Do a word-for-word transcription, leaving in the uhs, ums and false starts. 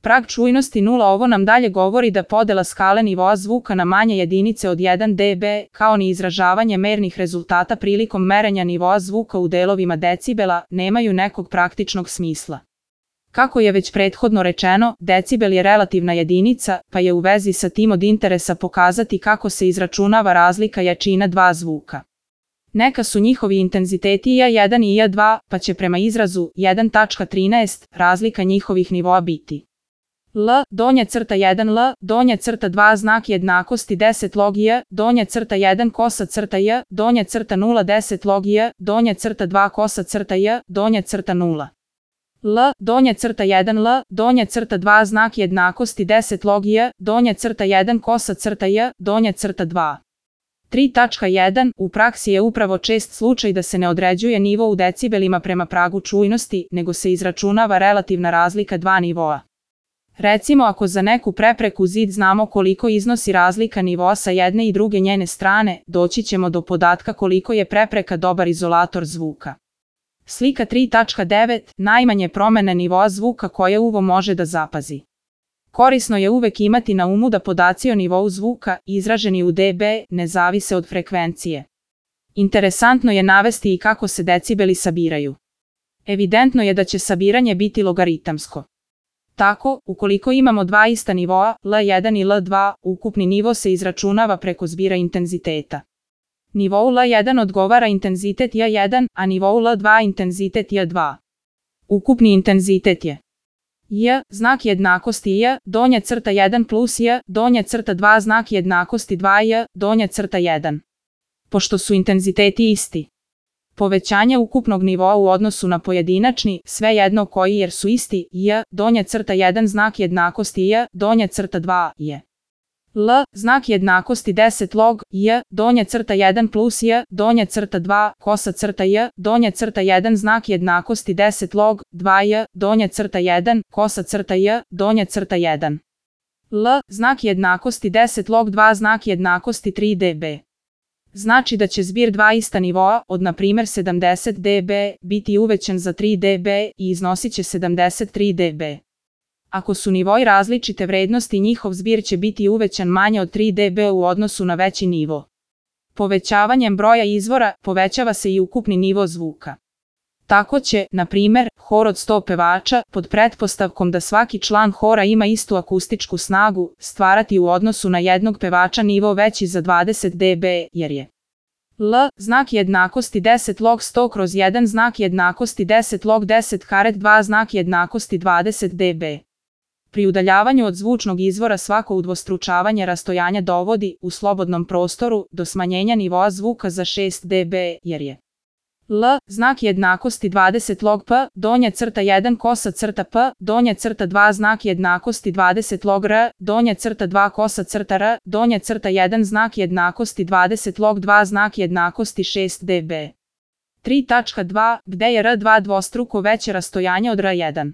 Prag čujnosti nula. Ovo nam dalje govori da podela skale nivoa zvuka na manje jedinice od jedan decibel, kao ni izražavanje mernih rezultata prilikom merenja nivoa zvuka u delovima decibela, nemaju nekog praktičnog smisla. Kako je već prethodno rečeno, decibel je relativna jedinica, pa je u vezi sa tim od interesa pokazati kako se izračunava razlika jačina dva zvuka. Neka su njihovi intenziteti i a jedan i i a dva, pa će prema izrazu jedan tačka trinaest razlika njihovih nivoa biti L, donja crta jedan L, donja crta dva znak jednakosti deset log i a, donja crta jedan kosa crta i a, donja crta nula deset log i a, donja crta dva kosa crta i a, donja crta nula. L, donja crta jedan L, donja crta dva znak jednakosti deset log i a, donja crta jedan kosa crta i a, donja crta dva. tri tačka jedan. U praksi je upravo čest slučaj da se ne određuje nivo u decibelima prema pragu čujnosti, nego se izračunava relativna razlika dva nivoa. Recimo ako za neku prepreku zid znamo koliko iznosi razlika nivoa sa jedne i druge njene strane, doći ćemo do podatka koliko je prepreka dobar izolator zvuka. Slika tri tačka devet. Najmanje promene nivoa zvuka koje uvo može da zapazi. Korisno je uvek imati na umu da podaci o nivou zvuka, izraženi u decibel, ne zavise od frekvencije. Interesantno je navesti i kako se decibeli sabiraju. Evidentno je da će sabiranje biti logaritamsko. Tako, ukoliko imamo dva ista nivoa, L jedan i L dva, ukupni nivo se izračunava preko zbira intenziteta. Nivou L jedan odgovara intenzitet i a jedan, a nivou L dva intenzitet i a dva. Ukupni intenzitet je I a, znak jednakosti I a, donja crta jedan plus I a, donja crta dva znak jednakosti dva I a, donja crta jedan. Pošto su intenziteti isti, povećanje ukupnog nivoa u odnosu na pojedinačni, svejedno koji jer su isti, I a, donja crta jedan znak jednakosti I a, donja crta dva I a. L, znak jednakosti deset log I a, donja crta jedan plus I a, donja crta dva, kosa crta I a, donja crta jedan znak jednakosti deset log, dva I a, donja crta jedan, kosa crta I a, donja crta jedan. L, znak jednakosti deset log dva znak jednakosti tri decibela. Znači da će zbir dva ista nivoa, od na primjer sedamdeset decibela, biti uvećan za tri decibela i iznosit će sedamdeset tri decibela. Ako su nivoi različite vrednosti, njihov zbir će biti uvećan manje od tri decibela u odnosu na veći nivo. Povećavanjem broja izvora, povećava se i ukupni nivo zvuka. Tako će, na primjer, hor od sto pevača, pod pretpostavkom da svaki član hora ima istu akustičku snagu, stvarati u odnosu na jednog pevača nivo veći za dvadeset decibela, jer je L, znak jednakosti deset log sto kroz jedan znak jednakosti deset log deset karet dva znak jednakosti dvadeset decibela. Pri udaljavanju od zvučnog izvora svako udvostručavanje rastojanja dovodi, u slobodnom prostoru, do smanjenja nivoa zvuka za šest decibela, jer je L, znak jednakosti dvadeset log P, donja crta jedan kosa crta P, donja crta dva znak jednakosti dvadeset log R, donja crta dva kosa crta R, donja crta jedan znak jednakosti dvadeset log dva znak jednakosti šest decibela. tri tačka dva. Gde je R dva dvostruko veće rastojanje od R jedan.